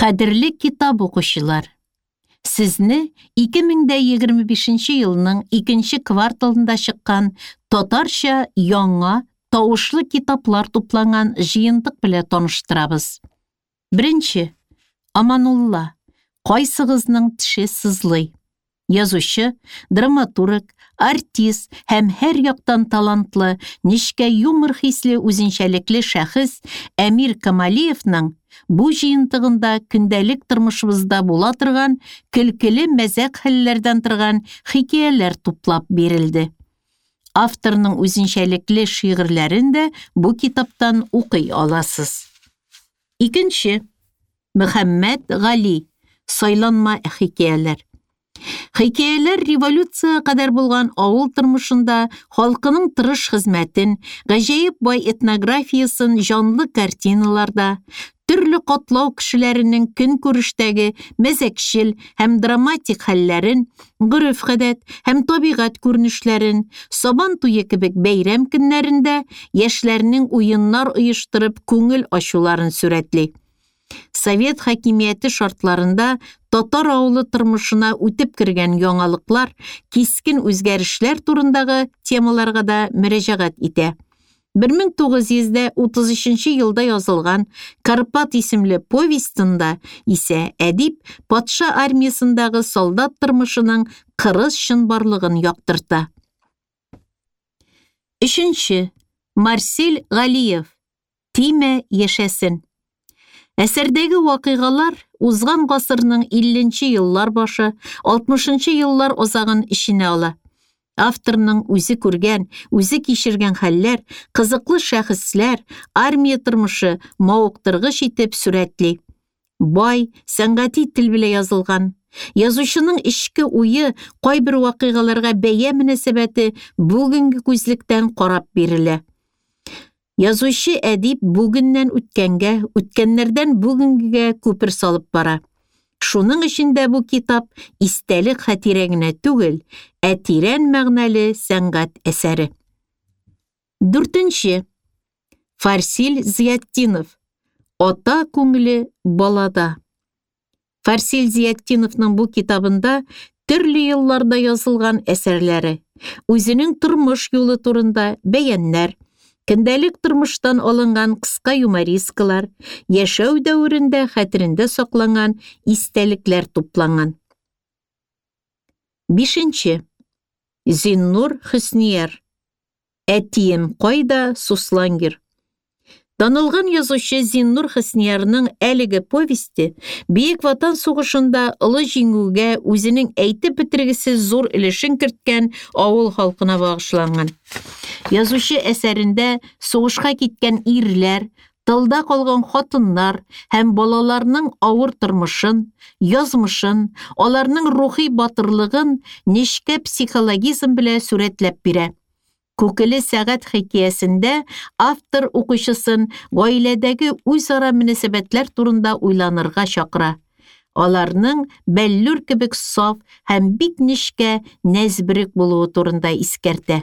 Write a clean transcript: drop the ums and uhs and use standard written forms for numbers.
Кадерле китап укучылар! Сезне 2025 елның икенче кварталында чыккан татарча яңа тавышлы китаплар тупланган җыентык белән таныштырабыз. Беренче. Аманулла. Кайсыгызның теше сызлый? Язучы, драматург, артист һәм һәр яктан талантлы, нечкә юмор хисле үзенчәлекле шәхес Әмир Камалиевның бу җыентыгында көндәлек тормышыбызда була торган көлкеле мәзәк хәлләрдән торган хикәяләр туплап бирелде. Авторның үзенчәлекле шигырьләрен дә бу китаптан укый аласыз. Икенче. Мөхәммәт Гали. Сайланма хикәяләр. Хикәяләр революциягә кадәр булган авыл тормышында халкының тырыш хезмәтен, гаҗәеп бай этнографиясен җанлы картиналарда, төрле катлау кешеләренең көнкүрештәге мәзәкчел һәм драматик хәлләрен, гореф-гадәт һәм табигать күренешләрен, Сабан туе кебек бәйрәм көннәрендә яшьләрнең уеннар оештырып күңел ачуларын сурәтли. Совет хакимияте шартларында татар авылы тормышына үтеп кергән яңалыклар, кискен үзгәрешләр турындагы темаларга да мөрәҗәгать итә. 1933 елда язылган Карпат исемле повестында исә әдип патша армиясендагы солдат тормышының кырыс чынбарлыгын яктырта. Өченче. Марсель Галиев. Тимә яшәсен. Әсәрдәге вакыйгалар узган гасырның 50 нче еллар башы, 60 нчы еллар азагын эченә ала. Авторның үзе күргән, үзе кичергән хәлләр, кызыклы шәхесләр, армия тормышы мавыктыргыч итеп сурәтли. Бай, сәнгати тел белән язылган. Язучының эчке уе, кайбер вакыйгаларга бәя мөнәсәбәте бүгенге күзлектән карап бирелә. Язучы әдип бүгеннән үткәнгә, үткәннәрдән бүгенгегә күпер салып бара. Шуның өчен дә бу китап истәлек хатирә генә түгел, ә тирән мәгънәле сәнгать әсәре. Дүртенче. Фарсил Зыятдинов. Ата күңеле балада. Фарсил Зиятдиновның бу китабында төрле елларда язылган әсәрләре, үзенең тормыш юлы турында бәяннәр, көндәлек тормыштан алынган кыска юморискалар, яшәү дәверендә хәтерендә сакланган истәлекләр тупланган. Бишенче. Зиннур Хөснияр. Әтием кайда, Суслангер? Танылган язучы Зиннур Хөсниярның әлеге повесте Бөек Ватан сугышында олы җиңүгә үзенең әйтеп бетергесез зур өлешен керткән авыл халкына багышланган. Язучы әсәрендә сугышка киткән ирләр, тылда калган хатыннар һәм балаларның авыр тормышын, язмышын, аларның рухи батырлыгын нечкә психологизм белән сурәтләп бирә. Күкеле сәгать хикәясендә автор укучысын гаиләдәге үзара мөнәсәбәтләр турында уйланырга чакыра. Аларның бәллүр кебек саф һәм бик нечкә, нәзберек булуы турында искәртә.